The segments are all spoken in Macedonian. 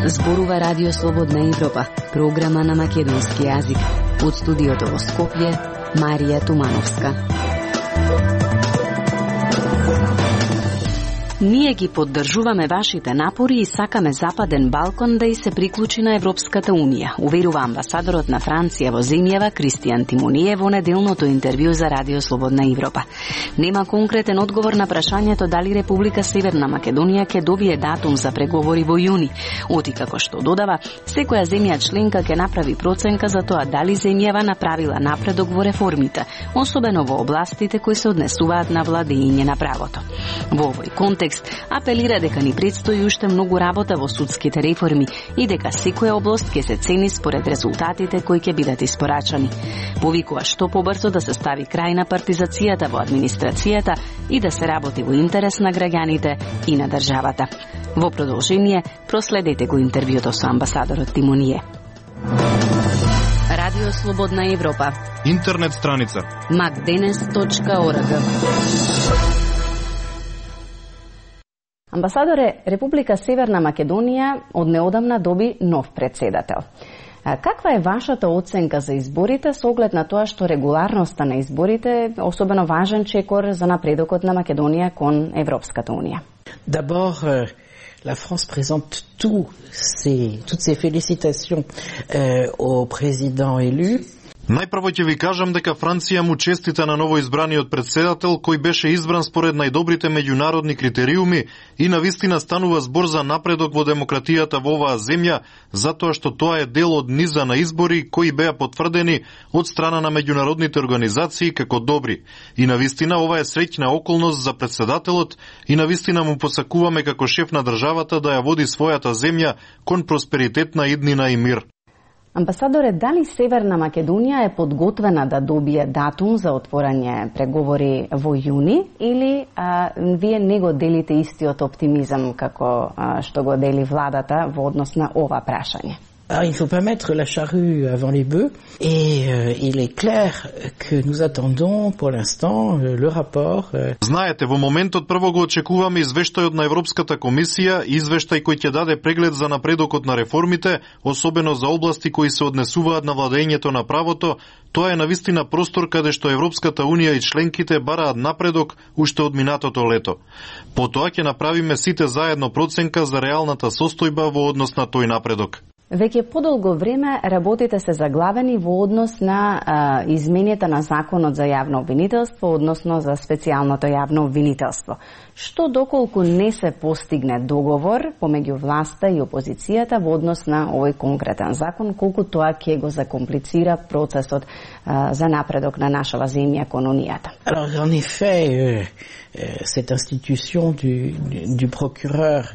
Зборува Радио Слободна Европа, програма на македонски јазик. Од студиото во Скопје, Марија Тумановска. Ние ги поддржуваме вашите напори и сакаме Западен Балкан да и се приклучи на Европската Унија, уверува амбасадорот на Франција во земјава Кристијан Тимоние во неделното интервју за Радио Слободна Европа. Нема конкретен одговор на прашањето дали Република Северна Македонија ќе добие датум за преговори во јуни, оти како што додава, секоја земја членка ќе направи проценка за тоа дали земјава направила напредок во реформите, особено во областите кои се однесуваат на владење на правото. Во овој контекст апелира дека ни предстои уште многу работа во судските реформи и дека секоја област ќе се цени според резултатите кои ќе бидат испорачани. Повикува што побрзо да се стави крај на партизацијата во администрацијата и да се работи во интерес на граѓаните и на државата. Во продолжение, проследете го интервјуто со амбасадорот Тимоние. Радио Слободна Европа. Интернет страница macdenes.org. Амбасадоре, Република Северна Македонија од неодамна доби нов председател. Каква е вашата оценка за изборите со оглед на тоа што регуларноста на изборите е особено важен чекор за напредокот на Македонија кон Европската Унија? D'abord, la France présente toutes ses félicitations au président élu. Најпрво ќе ви кажам дека Франција му честита на новоизбраниот председател кој беше избран според најдобрите меѓународни критериуми и навистина станува збор за напредок во демократијата во оваа земја, затоа што тоа е дел од низа на избори кои беа потврдени од страна на меѓународните организации како добри. И навистина ова е среќна околност за председателот и навистина му посакуваме како шеф на државата да ја води својата земја кон просперитетна иднина и мир. Амбасадоре, дали Северна Македонија е подготвена да добие датум за отворање преговори во јуни или вие не го делите истиот оптимизам како што го дели владата во однос на ова прашање? Il ne faut pas mettre la charrue avant les bœufs et il est clair que nous attendons pour l'instant le rapport. Знаете, во моментот прво го очекуваме извештајот на Европската комисија, извештај кој ќе даде преглед за напредокот на реформите, особено за области кои се однесуваат на владењето на правото. Тоа е навистина простор каде што Европската Унија и членките бараат напредок уште од минатото лето. Потоа ќе направиме сите заедно проценка за реалната состојба во однос на тој напредок. Веќе подолго време работите се заглавени во однос на измените на законот за јавно обвинителство, односно за специјалното јавно обвинителство. Што доколку не се постигне договор помеѓу власта и опозицијата во однос на овој конкретен закон, колку тоа ќе го закомплицира процесот за напредок на нашава земја кон Унијата? Alors, en effet, cette institution du procureur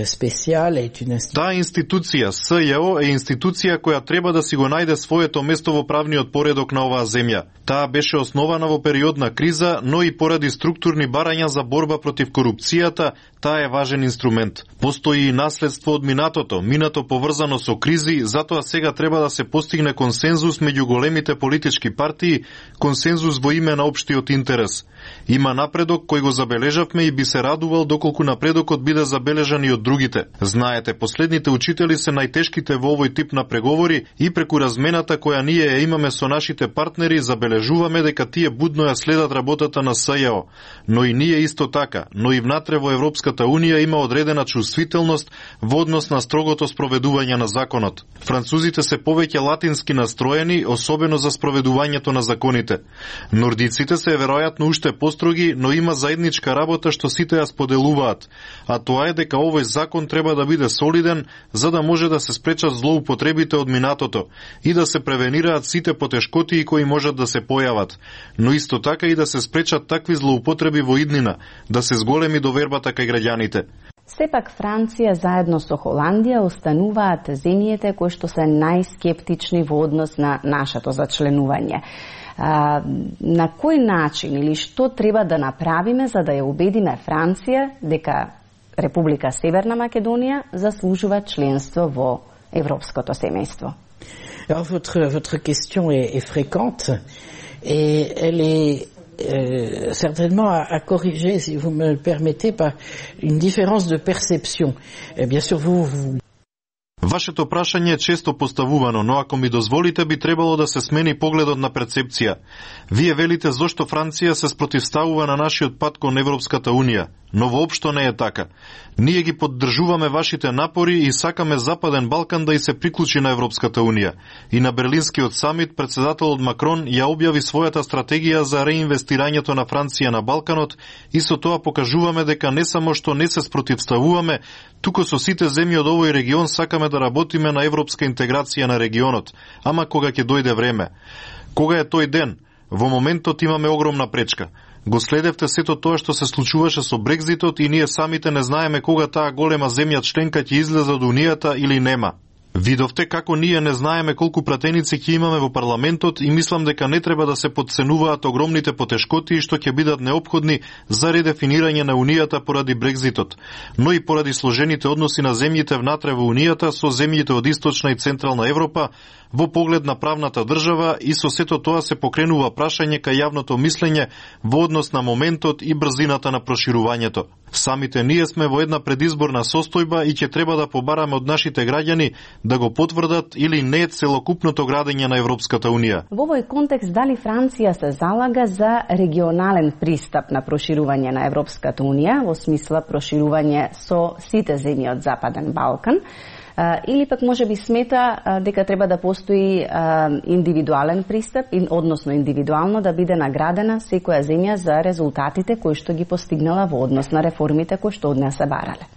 spécial est une institution. Таа институција СЈО е институција која треба да си го најде своето место во правниот поредок на оваа земја. Таа беше основана во период на криза, но и поради структурни барања за борба против корупцијата, таа е важен инструмент. Постои и наследство од минато поврзано со кризи, затоа сега треба да се постигне консензус меѓу големите политички партии, консензус во име на општиот интерес. Има напредок кој го забележавме и би се радувал доколку напредокот биде забележан и од другите. Знаете, последните учители се најтешките во овој тип на преговори и преку размената која ние ја имаме со нашите партнери забележуваме дека тие будно ја следат работата на СЈО. Но и ние исто така, но и внатре во Европската Унија има одредена чувствителност во однос на строгото спроведување на законот. Французите се повеќе латински настроени, особено за спроведувањето на законите. Нордиците се веројатно уште построги, но има заедничка работа што сите ја споделуваат, а тоа е дека овој закон треба да биде солиден за да може да се спречат злоупотребите од минатото и да се превенираат сите потешкотии кои можат да се појават, но исто така и да се спречат такви злоупотреби во иднина, да се зголеми довербата кај граѓаните. Сепак Франција заедно со Холандија остануваат земјите кои што се најскептични во однос на нашето зачленување. На кој начин или што треба да направиме за да ја убедиме Франција дека Република Северна Македонија заслужува членство во европското семејство? Alors, votre question est fréquente et elle est certainement à corriger, si vous me le permettez, par une différence de perception. Bien sûr, vous Вашето прашање е често поставувано, но ако ми дозволите, би требало да се смени погледот на перцепција. Вие велите зошто Франција се спротивставува на нашиот пат кон Европската Унија, но воопшто не е така. Ние ги поддржуваме вашите напори и сакаме Западен Балкан да и се приклучи на Европската Унија. И на Берлинскиот самит председателот Макрон ја објави својата стратегија за реинвестирањето на Франција на Балканот и со тоа покажуваме дека не само што не се спротивставуваме, туку со сите земји од овој регион сакаме да работиме на европска интеграција на регионот, ама кога ќе дојде време. Кога е тој ден? Во моментот имаме огромна пречка. Го следевте сето тоа што се случуваше со Брекзитот и ние самите не знаеме кога таа голема земја членка ќе излезе од Унијата или нема. Видовте како ние не знаеме колку пратеници ќе имаме во парламентот и мислам дека не треба да се потценуваат огромните потешкоти што ќе бидат неопходни за редефинирање на Унијата поради Брекзитот, но и поради сложените односи на земјите внатре во Унијата со земјите од Источна и Централна Европа во поглед на правната држава и со сето тоа се покренува прашање кај јавното мислење во однос на моментот и брзината на проширувањето. Самите ние сме во една предизборна состојба и ќе треба да побараме од нашите граѓани да го потврдат или не целокупното градење на Европската Унија. Во овој контекст, дали Франција се залага за регионален пристап на проширување на Европската Унија, во смисла проширување со сите земји од Западен Балкан, или пак може би смета дека треба да постои индивидуален пристап, односно индивидуално да биде наградена секоја земја за резултатите кои што ги постигнала во однос на реформите кои што од неа се барале.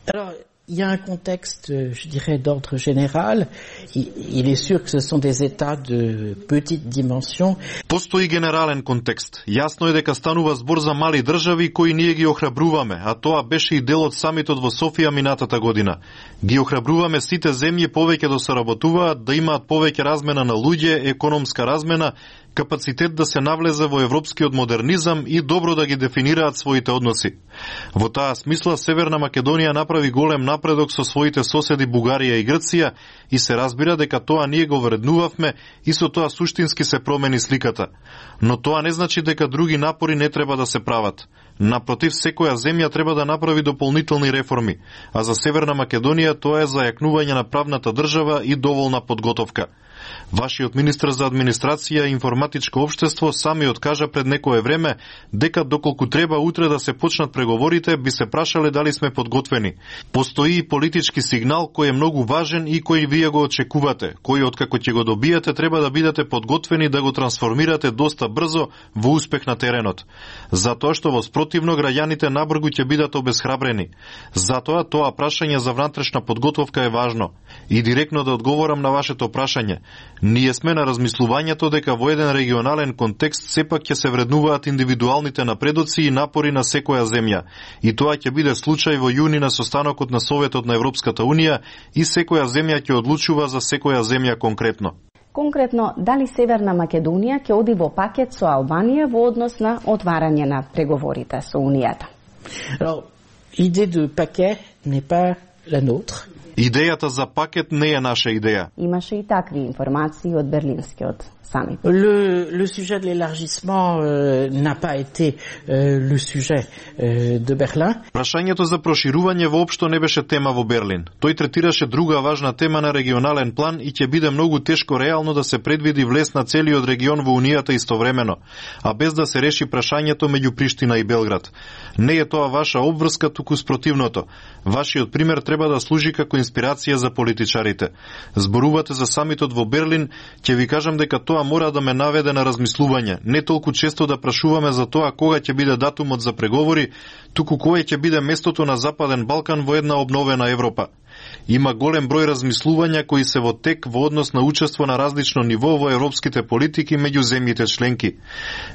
Il y a un contexte, je dirais, d'ordre général. Il est sûr que ce sont des États de petite dimension. Постои генерален контекст. Јасно е дека станува збор за мали држави кои ние ги охрабруваме, а тоа беше и дел од самитот во Софија минатата година. Ги охрабруваме сите земји повеќе да соработуваат, да имаат повеќе размена на луѓе, економска размена, капацитет да се навлезе во европскиот модернизам и добро да ги дефинираат своите односи. Во таа смисла Северна Македонија направи голем напредок со своите соседи Бугарија и Грција и се разбира дека тоа ние го вреднувавме и со тоа суштински се промени сликата. Но тоа не значи дека други напори не треба да се прават. Напротив, секоја земја треба да направи дополнителни реформи, а за Северна Македонија тоа е зајакнување на правната држава и доволна подготовка. Вашиот министр за администрација и информатичко општество сами откажа пред некое време дека доколку треба утре да се почнат преговорите, би се прашале дали сме подготвени. Постои и политички сигнал кој е многу важен и кој вие го очекувате, кој откако ќе го добиете треба да бидете подготвени да го трансформирате доста брзо во успех на теренот. Затоа што во спротивно граѓаните набргу ќе бидат обесхрабрени. Затоа тоа прашање за внатрешна подготовка е важно. И директно да одговорам на вашето прашање. Ние сме на размислувањето дека во еден регионален контекст сепак ќе се вреднуваат индивидуалните напредоци и напори на секоја земја. И тоа ќе биде случај во јуни на состанокот на Советот на Европската Унија и секоја земја ќе одлучува за секоја земја конкретно. Конкретно, дали Северна Македонија ќе оди во пакет со Албанија во однос на отварање на преговорите со Унијата? Alors, l'idée de paquet n'est pas la nôtre. Идејата за пакет не е наша идеја. Имаше и такви информации од Берлинскиот самит. Le sujet de l'élargissement n'a pas été le sujet de Berlin. Прашањето за проширување воопшто не беше тема во Берлин. Тој третираше друга важна тема на регионален план и ќе биде многу тешко реално да се предвиди влез на целиот регион во Унијата истовремено, а без да се реши прашањето меѓу Приштина и Белград. Не е тоа ваша обврска, туку спротивното. Вашиот пример треба да служи како инспирација за политичарите. Зборувате за самитот во Берлин, ќе ви кажам дека тоа мора да ме наведе на размислување. Не толку често да прашуваме за тоа кога ќе биде датумот за преговори, туку кое ќе биде местото на Западен Балкан во една обновена Европа. Има голем број размислувања кои се во тек во однос на учество на различно ниво во европските политики меѓу земјите членки.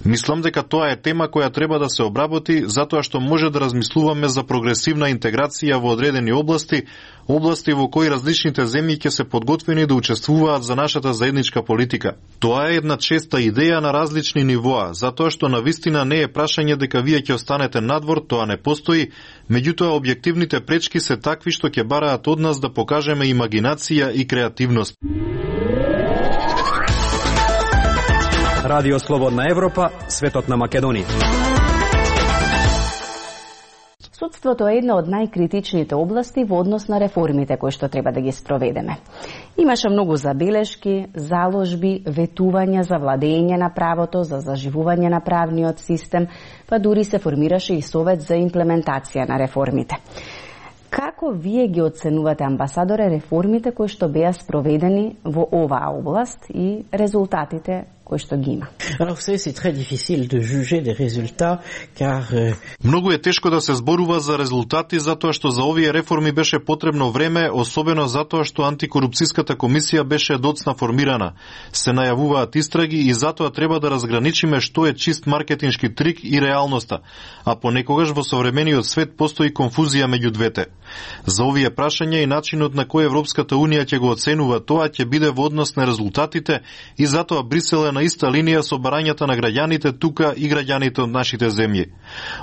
Мислам дека тоа е тема која треба да се обработи, затоа што може да размислуваме за прогресивна интеграција во одредени области во кои различните земји ќе се подготвени да учествуваат за нашата заедничка политика. Тоа е една честа идеја на различни нивоа, затоа што навистина не е прашање дека вие ќе останете надвор, тоа не постои, меѓутоа објективните пречки се такви што ќе бараат од нас да покажеме имагинација и креативност. Радио Слободна Европа, светот на Македонија. Судството е една од најкритичните области во однос на реформите кои што треба да ги спроведеме. Имаше многу забелешки, заложби, ветувања за владење на правото, за заживување на правниот систем, па дури се формираше и совет за имплементација на реформите. Како вие ги оценувате, амбасадоре, реформите кои што беа спроведени во оваа област и резултатите кои што ги има? Alors, c'est très difficile de juger des résultats, car многу е тешко да се зборува за резултати затоа што за овие реформи беше потребно време, особено затоа што антикорупцијската комисија беше доцна формирана. Се најавуваат истраги и затоа треба да разграничиме што е чист маркетиншки трик и реалноста, а понекогаш во современиот свет постои конфузија меѓу двете. За овие прашања и начинот на кој Европската Унија ќе го оценува тоа ќе биде во однос на резултатите и затоа Брисел е на иста линија со барањата на граѓаните тука и граѓаните од нашите земји.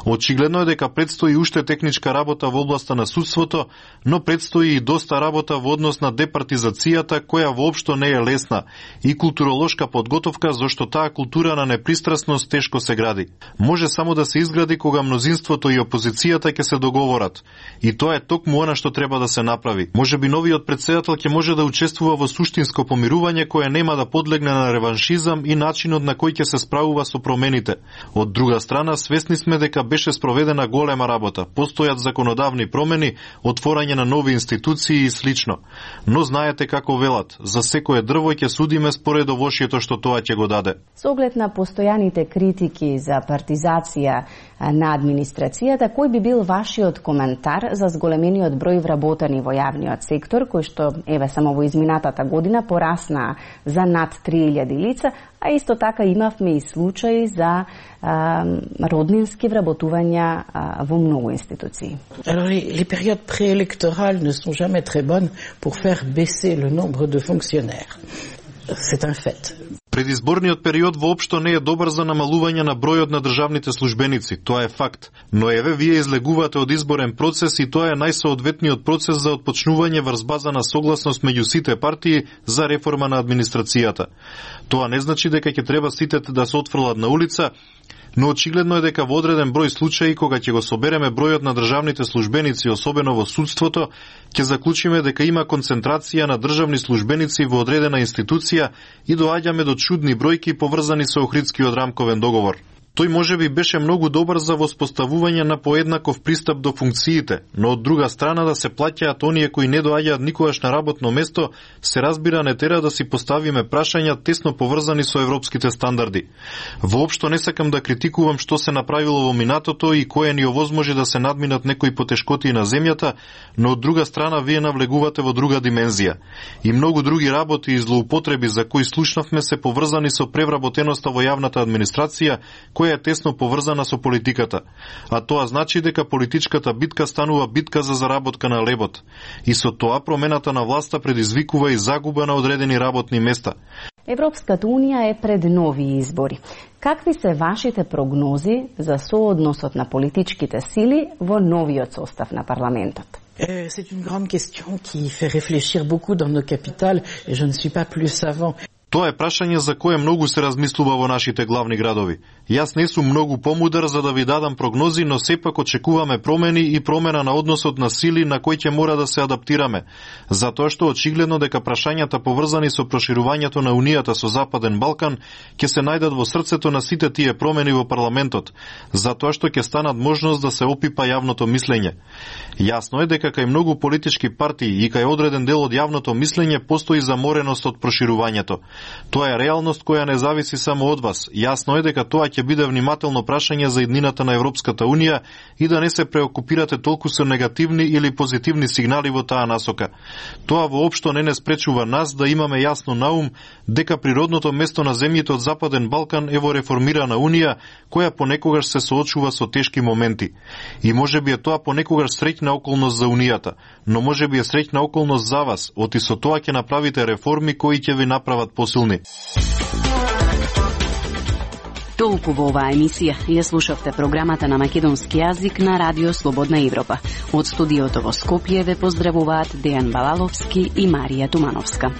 Очигледно е дека предстои уште техничка работа во областа на судството, но предстои и доста работа во однос на департизацијата која воопшто не е лесна и културолошка подготовка зашто таа култура на непристрасност тешко се гради. Може само да се изгради кога мнозинството и опозицијата ќе се договорат. И тоа е токму она што треба да се направи. Можеби новиот претседател ќе може да учествува во суштинско помирување кое нема да подлегне на реваншизам и начинот на кој ќе се справува со промените. Од друга страна, свесни сме дека беше спроведена голема работа. Постојат законодавни промени, отворање на нови институции и слично. Но знаете како велат, за секое дрво ќе судиме според овошјето што тоа ќе го даде. Со оглед на постојаните критики за партизација на администрацијата, кој би бил вашиот коментар за зголемениот број вработени во јавниот сектор, кој што, еве, само во изминатата година порасна за над 3000 лица, а исто така имавме и случаи за роднински вработувања во многу институции. Alors, les périodes préélectorales ne sont jamais très bonnes pour faire baisser le nombre de fonctionnaires. C'est un fait. Предизборниот период воопшто не е добар за намалување на бројот на државните службеници, тоа е факт. Но еве вие излегувате од изборен процес и тоа е најсоодветниот процес за отпочнување врз база на согласност меѓу сите партии за реформа на администрацијата. Тоа не значи дека ќе треба сите да се отфрлат на улица, но очигледно е дека во одреден број случаи кога ќе го собереме бројот на државните службеници, особено во судството, ќе заклучиме дека има концентрација на државни службеници во одредена институција и доаѓаме до чудни бројки поврзани со Охридскиот рамковен договор. Тој можеби беше многу добар за воспоставување на поеднаков пристап до функциите, но од друга страна да се плаќаат оние кои не доаѓаат никогаш на работно место, се разбира не тера да си поставиме прашања тесно поврзани со европските стандарди. Воопшто не сакам да критикувам што се направило во минатото и кое ни овозможи да се надминат некои потешкоти на земјата, но од друга страна вие навлегувате во друга димензија. И многу други работи и злоупотреби за кои слушнавме се поврзани со превработеноста во јавната администрација, која е тесно поврзана со политиката. А тоа значи дека политичката битка станува битка за заработка на лебот. И со тоа промената на власта предизвикува и загуба на одредени работни места. Европската Унија е пред нови избори. Какви се вашите прогнози за соодносот на политичките сили во новиот состав на парламентот? C'est une grande question qui fait réfléchir beaucoup dans nos capitales et je ne suis pas plus savant. Тоа е прашање за кое многу се размислува во нашите главни градови. Јас не сум многу помудар за да ви дадам прогнози, но сепак очекуваме промени и промена на односот на сили на кој ќе мора да се адаптираме. Затоа што очигледно дека прашањата поврзани со проширувањето на Унијата со Западен Балкан ќе се најдат во срцето на сите тие промени во парламентот, затоа што ќе станат можност да се опипа јавното мислење. Јасно е дека кај многу политички партии и кај одреден дел од јавното мислење постои замореност од проширувањето. Тоа е реалност која не зависи само од вас. Јасно е дека тоа ќе биде внимателно прашање за иднината на Европската Унија и да не се преокупирате толку со негативни или позитивни сигнали во таа насока. Тоа воопшто не спречува нас да имаме јасно на ум дека природното место на земјите од Западен Балкан е во реформирана Унија, која понекогаш се соочува со тешки моменти. И можеби е тоа понекогаш среќна околност за Унијата, но можеби е среќна околност за вас, оти со тоа ќе направите реформи кои ќе ви направат посилни. Толку во оваа емисија. Ја слушавте програмата на македонски јазик на Радио Слободна Европа. Од студиото во Скопје ве поздравуваат Дејан Балаловски и Марија Тумановска.